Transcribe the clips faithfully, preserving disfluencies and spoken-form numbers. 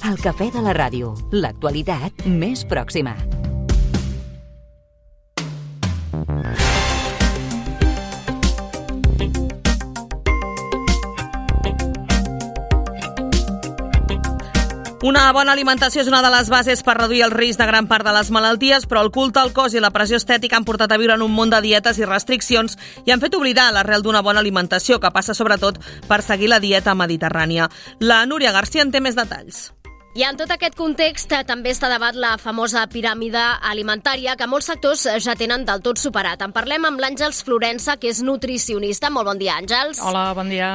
El cafè de la ràdio, l'actualitat més pròxima. Una bona alimentació és una de les bases per reduir el risc de gran part de les malalties, però el culte al cos i la pressió estètica han portat a viure en un món de dietes i restriccions i han fet oblidar l'arrel d'una bona alimentació, que passa sobretot per seguir la dieta mediterrània. La Núria García en té més detalls. I en tot aquest context també està a debat la famosa piràmide alimentària que molts sectors ja tenen del tot superat. En parlem amb l'Àngels Florença, que és nutricionista. Molt bon dia, Àngels. Hola, bon dia.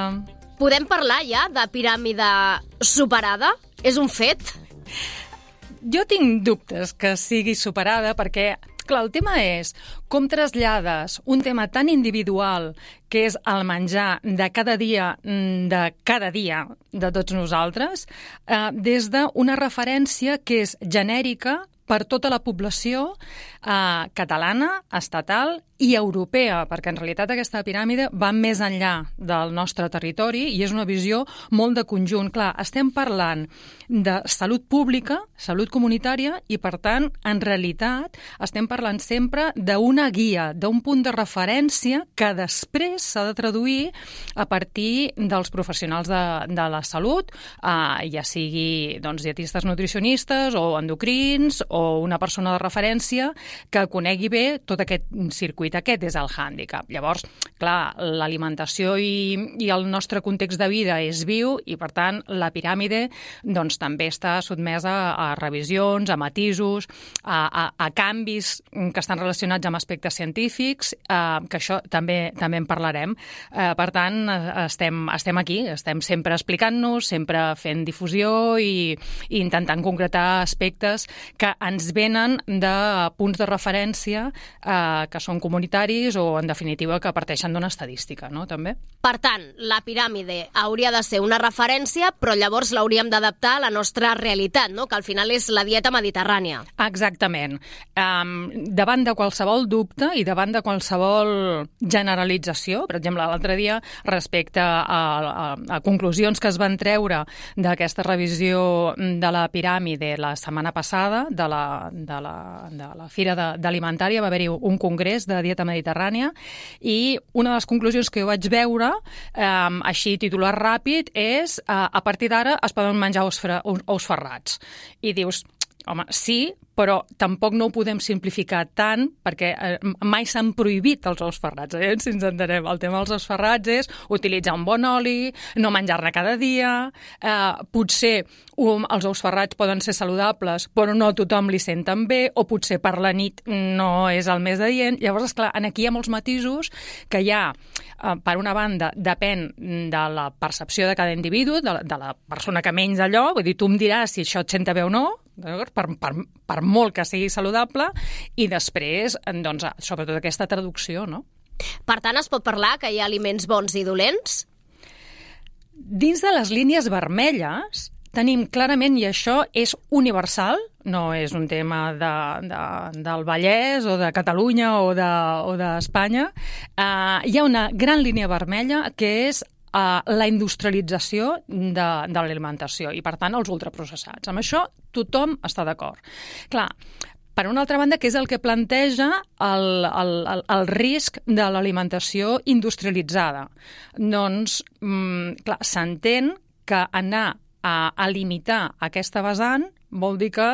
Podem parlar ja de piràmide superada? És un fet? Jo tinc dubtes que sigui superada perquè, clar, el tema és com trasllades un tema tan individual que és el menjar de cada dia, de cada dia de tots nosaltres, eh, des d'una referència que és genèrica per tota la població eh, catalana, estatal i europea, perquè en realitat aquesta piràmide va més enllà del nostre territori i és una visió molt de conjunt. Clar, estem parlant de salut pública, salut comunitària i, per tant, en realitat estem parlant sempre d'una guia, d'un punt de referència que després s'ha de traduir a partir dels professionals de, de la salut, eh, ja sigui doncs, dietistes nutricionistes o endocrins o una persona de referència que conegui bé tot aquest circuit. Aquest és el hàndicap. Llavors, clar, l'alimentació i, i el nostre context de vida és viu i, per tant, la piràmide doncs, també està sotmesa a revisions, a matisos, a, a, a canvis que estan relacionats amb aspectes científics, eh, que això també també en parlarem. Eh, per tant, estem, estem aquí, estem sempre explicant-nos, sempre fent difusió i, i intentant concretar aspectes que ens venen de punts de referència eh, que són comunitaris o, en definitiva, que parteixen d'una estadística, no?, també. Per tant, la piràmide hauria de ser una referència, però llavors l'hauríem d'adaptar a la nostra realitat, no?, que al final és la dieta mediterrània. Exactament. Um, davant de qualsevol dubte i davant de qualsevol generalització, per exemple, l'altre dia, respecte a, a, a conclusions que es van treure d'aquesta revisió de la piràmide la setmana passada, de la, de la, de la Fira d'Alimentària, va haver-hi un congrés de dieta mediterrània i una de les conclusions que jo vaig veure, eh, així titular ràpid, és eh, a partir d'ara es poden menjar ous, fra, ous ferrats. I dius, home, sí, però tampoc no ho podem simplificar tant perquè eh, mai s'han prohibit els ous ferrats, eh? Si ens entenem. El tema dels ous ferrats és utilitzar un bon oli, no menjar-ne cada dia, eh, potser um, els ous ferrats poden ser saludables però no a tothom li senten bé, o potser per la nit no és el més adient. Llavors, esclar, aquí hi ha molts matisos que hi ha, eh, per una banda, depèn de la percepció de cada individu, de la, de la persona que menys allò, vull dir, tu em diràs si això et senta bé o no, per, per, per molt que sigui saludable, i després, doncs, sobretot aquesta traducció, no? Per tant, es pot parlar que hi ha aliments bons i dolents? Dins de les línies vermelles tenim clarament, i això és universal, no és un tema de, de, del Vallès o de Catalunya o d'Espanya, de, o uh, hi ha una gran línia vermella que és Uh, la industrialització de, de l'alimentació i, per tant, els ultraprocessats. Amb això tothom està d'acord. Clar, per una altra banda, què és el que planteja el, el, el, el risc de l'alimentació industrialitzada? Doncs, mm, clar, s'entén que anar a, a limitar aquesta vessant vol dir que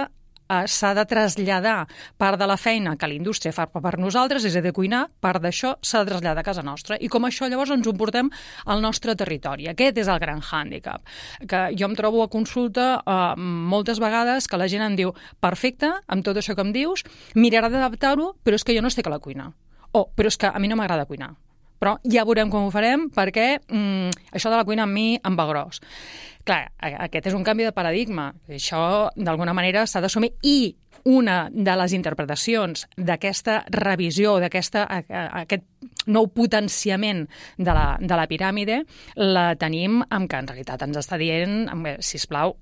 s'ha de traslladar part de la feina que la indústria fa per nosaltres, és a dir, cuinar, part d'això s'ha de traslladar a casa nostra. I com això llavors ens ho portem al nostre territori. Aquest és el gran hàndicap. Que jo em trobo a consulta eh, moltes vegades que la gent em diu, perfecte, amb tot això que em dius, miraré d'adaptar-ho, però és que jo no estic a la cuina. O, però és que a mi no m'agrada cuinar. Però ja veurem com ho farem perquè mm, això de la cuina a mi em va gros. Clar, aquest és un canvi de paradigma. Això, d'alguna manera, s'ha d'assumir. I una de les interpretacions d'aquesta revisió, d'aquesta aquest nou potenciament de la, de la piràmide la tenim amb que en realitat ens està dient, sisplau,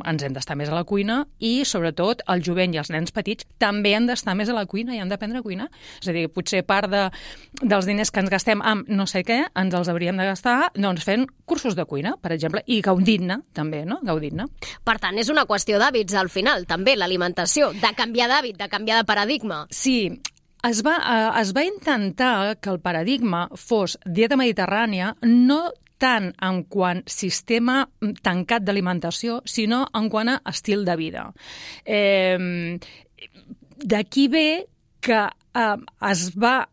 ens hem d'estar més a la cuina i, sobretot, el jovent i els nens petits també han d'estar més a la cuina i han d'aprendre a cuinar. És a dir, potser part de, dels diners que ens gastem amb no sé què, ens els hauríem de gastar doncs, fent cursos de cuina, per exemple, i gaudint-ne, també, no? Gaudint-ne. Per tant, és una qüestió d'hàbits, al final, també, l'alimentació, de canviar d'hàbit, de canviar de paradigma. Sí, es va, eh, es va intentar que el paradigma fos dieta mediterrània, no tant en quant sistema tancat d'alimentació, sinó en quant a estil de vida. Eh, D'aquí ve que eh, es va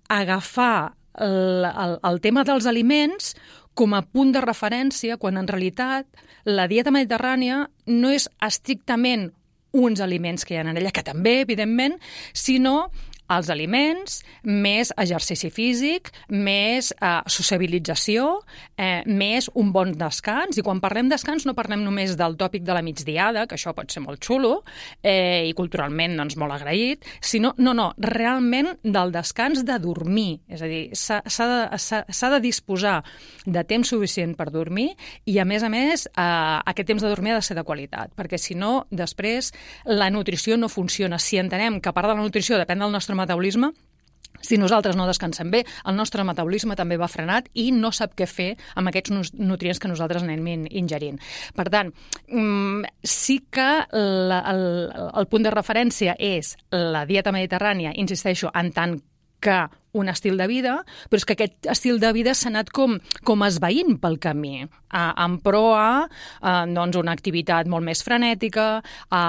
agafar el, el, el tema dels aliments com a punt de referència, quan en realitat la dieta mediterrània no és estrictament uns aliments que hi ha en ella, que també, evidentment, sinó els aliments, més exercici físic, més eh, sociabilització, eh, més un bon descans. I quan parlem descans no parlem només del tòpic de la migdiada, que això pot ser molt xulo eh, i culturalment doncs, molt agraït, sinó, no, no, realment del descans de dormir. És a dir, s'ha de, s'ha de disposar de temps suficient per dormir i, a més a més, eh, aquest temps de dormir ha de ser de qualitat, perquè si no, després la nutrició no funciona. Si entenem que part de la nutrició depèn del nostre metabolisme, si nosaltres no descansem bé, el nostre metabolisme també va frenat i no sap què fer amb aquests nutrients que nosaltres anem ingerint. Per tant, sí que la, el, el punt de referència és la dieta mediterrània, insisteixo, en tant que un estil de vida, però és que aquest estil de vida s'ha anat com, com esvaint pel camí, a, en pro a, a doncs una activitat molt més frenètica, a,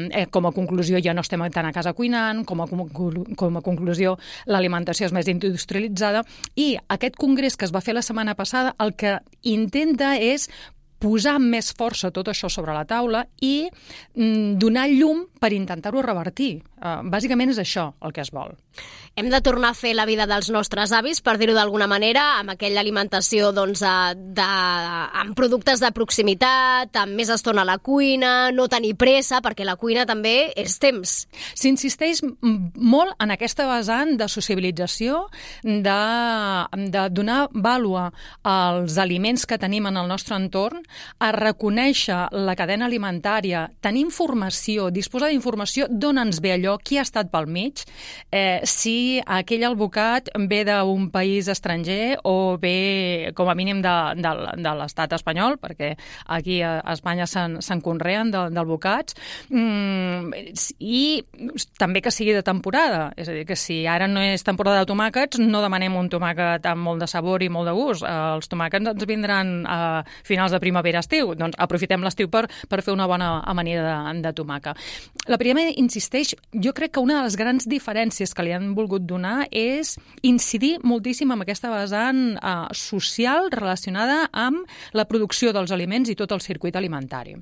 eh, com a conclusió ja no estem tant a casa cuinant, com a, com a conclusió l'alimentació és més industrialitzada, i aquest congrés que es va fer la setmana passada el que intenta és posar amb més força tot això sobre la taula i mm, donar llum per intentar-ho revertir. Uh, bàsicament és això el que es vol. Hem de tornar a fer la vida dels nostres avis, per dir-ho d'alguna manera, amb aquella alimentació doncs, de, amb productes de proximitat, amb més estona a la cuina, no tenir pressa, perquè la cuina també és temps. S'insisteix molt en aquesta vessant de sociabilització, de, de donar vàlua als aliments que tenim en el nostre entorn, a reconèixer la cadena alimentària, tenir informació, disposar d'informació d'on ens ve allò, qui ha estat pel mig, eh, si aquell albocat ve d'un país estranger o ve, com a mínim, de, de, de l'estat espanyol, perquè aquí a Espanya se'n, se'n conreen d'albocats, mm, i també que sigui de temporada. És a dir, que si ara no és temporada de tomàquets, no demanem un tomàquet amb molt de sabor i molt de gust. Els tomàquets ens vindran a finals de primavera-estiu. Doncs aprofitem l'estiu per, per fer una bona amanida de, de tomàquet. La piràmide insisteix, jo crec que una de les grans diferències que li han volgut donar és incidir moltíssim en aquesta vessant eh, social relacionada amb la producció dels aliments i tot el circuit alimentari.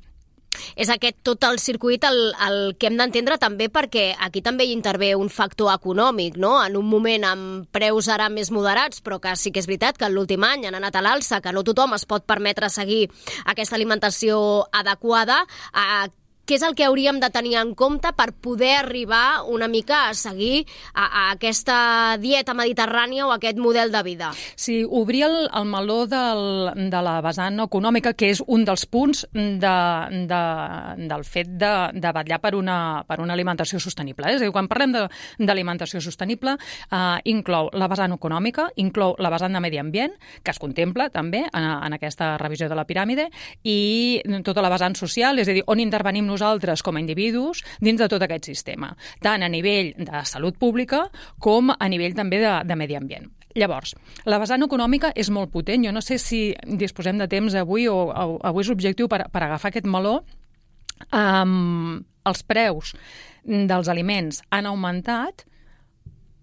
És aquest tot el circuit el, el que hem d'entendre també, perquè aquí també hi intervé un factor econòmic, no? En un moment amb preus ara més moderats, però que sí que és veritat que l'últim any han anat a l'alça, que no tothom es pot permetre seguir aquesta alimentació adequada. A què és el que hauríem de tenir en compte per poder arribar una mica a seguir a, a aquesta dieta mediterrània o aquest model de vida? Sí, obrir el, el meló del, de la vessant econòmica, que és un dels punts de, de, del fet de, de vetllar per una, per una alimentació sostenible. És a dir, quan parlem d'alimentació sostenible, eh, inclou la vessant econòmica, inclou la vessant de medi ambient, que es contempla també en, en aquesta revisió de la piràmide, i tota la vessant social, és a dir, on intervenim nosaltres com a individus dins de tot aquest sistema, tant a nivell de salut pública com a nivell també de, de medi ambient. Llavors, la vessant econòmica és molt potent. Jo no sé si disposem de temps avui o, o avui és l'objectiu per, per agafar aquest meló. Um, els preus dels aliments han augmentat,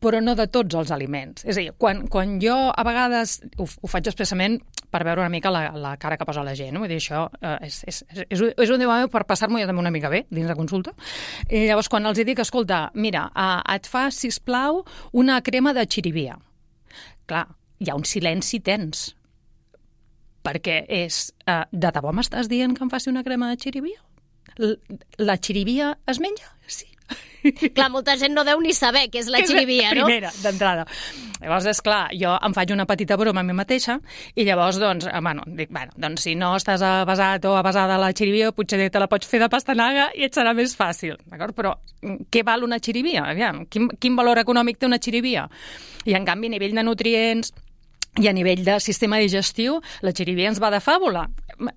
però no de tots els aliments. És a dir, quan, quan jo a vegades ho, ho faig expressament per veure una mica la, la cara que posa la gent. Vull dir, això eh, és, és, és, és un dia per passar-m'ho jo també una mica bé dins de consulta. I llavors, quan els dic, escolta, mira, eh, et fa, sisplau, una crema de xirivia. Clar, hi ha un silenci tens. Perquè és, eh, de debò m'estàs dient que em faci una crema de xirivia? La xirivia es menja? Sí. Clar, molta gent no deu ni saber què és la xirivia, no? Primera, d'entrada. Llavors, és clar, jo em faig una petita broma a mi mateixa i llavors, doncs, bueno, dic, bueno, doncs si no estàs avasat o avasada a la xirivia, potser te la pots fer de pastanaga i et serà més fàcil, d'acord? Però què val una xirivia? Aviam, quin, quin valor econòmic té una xirivia? I, en canvi, a nivell de nutrients i a nivell de sistema digestiu, la xirivia ens va de fàbula.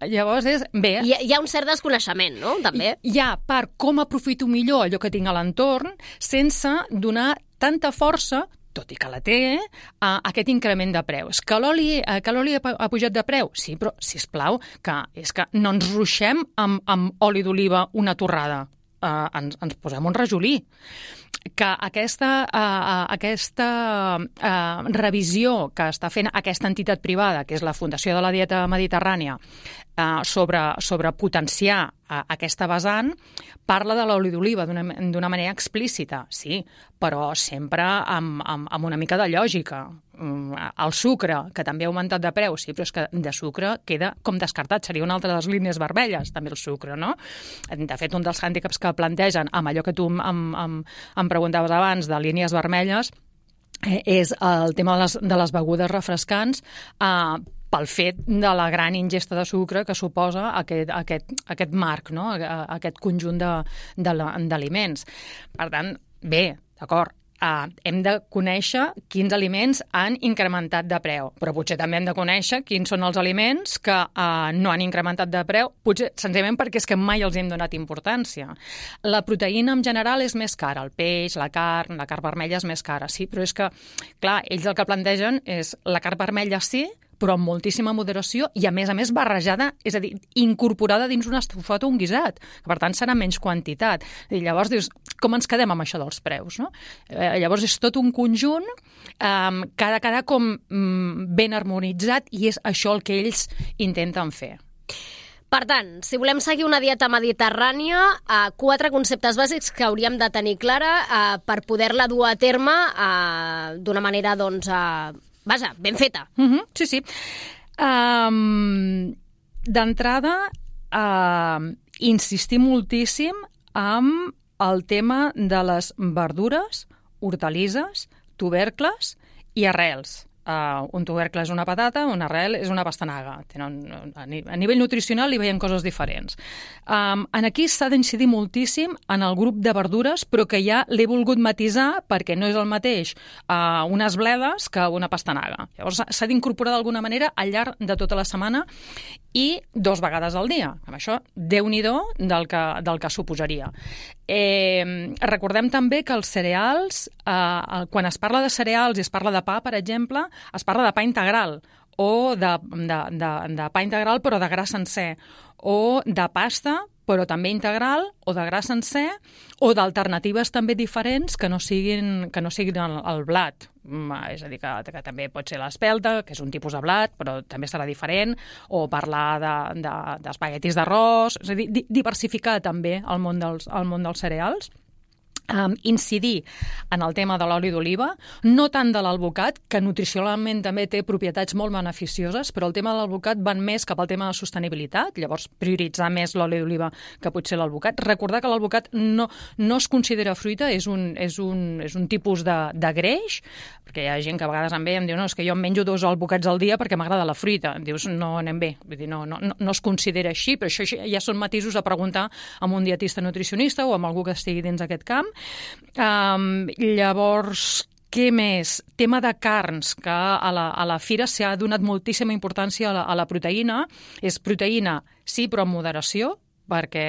Llavors, és bé... Hi ha, hi ha un cert desconeixement, no?, també. Hi ha per com aprofito millor allò que tinc a l'entorn sense donar tanta força, tot i que la té, a aquest increment de preus. Que l'oli que l'oli ha pujat de preu? Sí, però, sisplau, que és que no ens ruixem amb, amb oli d'oliva una torrada. Uh, ens, ens posem un rajolí. Que aquesta, uh, aquesta uh, revisió que està fent aquesta entitat privada, que és la Fundació de la Dieta Mediterrània, uh, sobre, sobre potenciar uh, aquesta vessant, parla de l'oli d'oliva d'una manera explícita, sí, però sempre amb, amb, amb una mica de lògica. El sucre, que també ha augmentat de preu, sí, però és que de sucre queda com descartat, seria una altra de les línies vermelles, també el sucre, no? De fet, un dels hàndicaps que plantegen amb allò que tu em, em, em preguntaves abans de línies vermelles eh, és el tema de les, de les begudes refrescants, eh, pel fet de la gran ingesta de sucre que suposa aquest, aquest, aquest marc, no? Aquest conjunt d'aliments. Per tant, bé, d'acord, Uh, hem de conèixer quins aliments han incrementat de preu, però potser també hem de conèixer quins són els aliments que uh, no han incrementat de preu, potser senzillament perquè és que mai els hem donat importància. La proteïna en general és més cara, el peix, la carn, la carn vermella és més cara, sí, però és que, clar, ells el que plantegen és la carn vermella sí, però amb moltíssima moderació i, a més a més, barrejada, és a dir, incorporada dins un estofat o un guisat, que per tant serà menys quantitat. I llavors dius, com ens quedem amb això dels preus, no? Eh, llavors és tot un conjunt eh, que ha de quedar com mm, ben harmonitzat i és això el que ells intenten fer. Per tant, si volem seguir una dieta mediterrània, eh, quatre conceptes bàsics que hauríem de tenir clara eh, per poder-la dur a terme eh, d'una manera, doncs, eh, vaja, ben feta. Uh-huh, sí, sí. Um, D'entrada, uh, insistir moltíssim amb el tema de les verdures, hortalisses, tubercles i arrels. Uh, un tubercle és una patata, una arrel és una pastanaga. Tenen, a nivell nutricional hi veiem coses diferents. Um, en aquí s'ha d'incidir moltíssim en el grup de verdures, però que ja l'he volgut matisar perquè no és el mateix uh, unes bledes que una pastanaga. Llavors s'ha d'incorporar d'alguna manera al llarg de tota la setmana i dos vegades al dia. Amb això, Déu-n'hi-do del que, del que suposaria. Eh, recordem també que els cereals, eh, quan es parla de cereals i es parla de pa, per exemple, es parla de pa integral o de, de, de, de pa integral però de gra sencer, o de pasta però també integral, o de gra sencer, o d'alternatives també diferents que no siguin, que no siguin el, el blat. És a dir, que, que també pot ser l'espelta, que és un tipus de blat, però també serà diferent, o parlar d'espaguetis de, d'arròs, és a dir, diversificar també el món dels, el món dels cereals. Um, incidir en el tema de l'oli d'oliva, no tant de l'alvocat, que nutricionalment també té propietats molt beneficioses, però el tema de l'alvocat van més cap al tema de sostenibilitat, llavors prioritzar més l'oli d'oliva que potser l'alvocat. Recordar que l'alvocat no, no es considera fruita, és un, és un, és un tipus de, de greix, perquè hi ha gent que a vegades em ve i em diu no, és que jo em menjo dos alvocats al dia perquè m'agrada la fruita. Em dius, no anem bé, vull dir, no, no, no es considera així, però això ja són matisos a preguntar amb un dietista nutricionista o amb algú que estigui dins aquest camp. Um, llavors, què més? Tema de carns, que a la, a la fira s'ha donat moltíssima importància a la, a la proteïna. És proteïna, sí, però amb moderació, perquè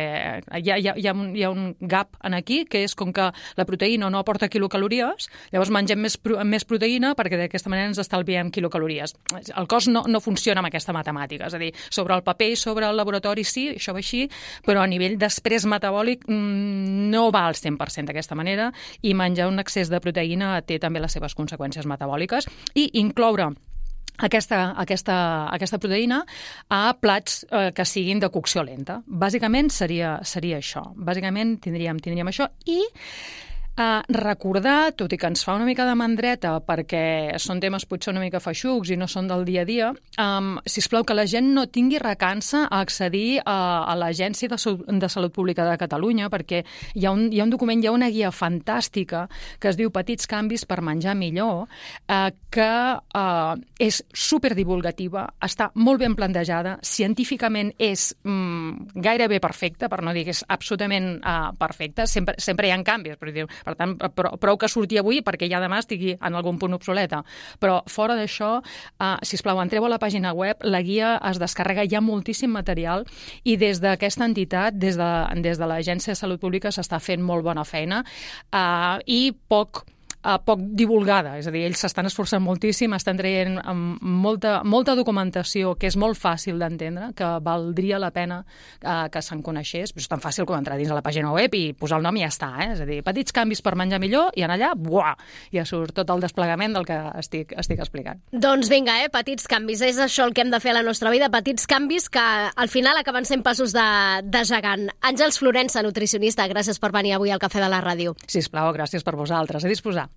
hi ha, hi, ha, hi, ha un, hi ha un gap en aquí, que és com que la proteïna no aporta quilocalories, llavors mengem més, més proteïna perquè d'aquesta manera ens estalviem quilocalories. El cos no, no funciona amb aquesta matemàtica, és a dir, sobre el paper i sobre el laboratori sí, això va així, però a nivell després metabòlic mmm, no va al cent per cent d'aquesta manera i menjar un excés de proteïna té també les seves conseqüències metabòliques i incloure Aquesta, aquesta, aquesta proteïna a plats eh, que siguin de cocció lenta. Bàsicament seria, seria això. Bàsicament tindríem, tindríem això i Uh, recordar, tot i que ens fa una mica de mandreta perquè són temes potser una mica feixucs i no són del dia a dia, um, sisplau, que la gent no tingui recança a accedir a, a l'Agència de, de Salut Pública de Catalunya, perquè hi ha, un, hi ha un document, hi ha una guia fantàstica que es diu Petits canvis per menjar millor, uh, que uh, és superdivulgativa, està molt ben plantejada, científicament és um, gairebé perfecta, per no dir que és absolutament uh, perfecta, sempre, sempre hi ha canvis, però diu, per tant, prou, prou que surti avui perquè ja demà estigui en algun punt obsoleta. Però fora d'això, uh, sisplau, entreu a la pàgina web, la guia es descarrega, hi ha moltíssim material i des d'aquesta entitat, des de, des de l'Agència de Salut Pública, s'està fent molt bona feina uh, i poc Uh, poc divulgada, és a dir, ells s'estan esforçant moltíssim, estan traient um, molta, molta documentació que és molt fàcil d'entendre, que valdria la pena uh, que se'n coneixés. És tan fàcil com entrar dins a la pàgina web i posar el nom i ja està, eh? És a dir, petits canvis per menjar millor i en allà, buah, ja surt tot el desplegament del que estic, estic explicant. Doncs vinga, eh? Petits canvis, és això el que hem de fer a la nostra vida, petits canvis que al final acaben sent passos de, de gegant. Àngels Florença, nutricionista, gràcies per venir avui al Cafè de la Ràdio. Sisplau, gràcies per vosaltres. A disposar.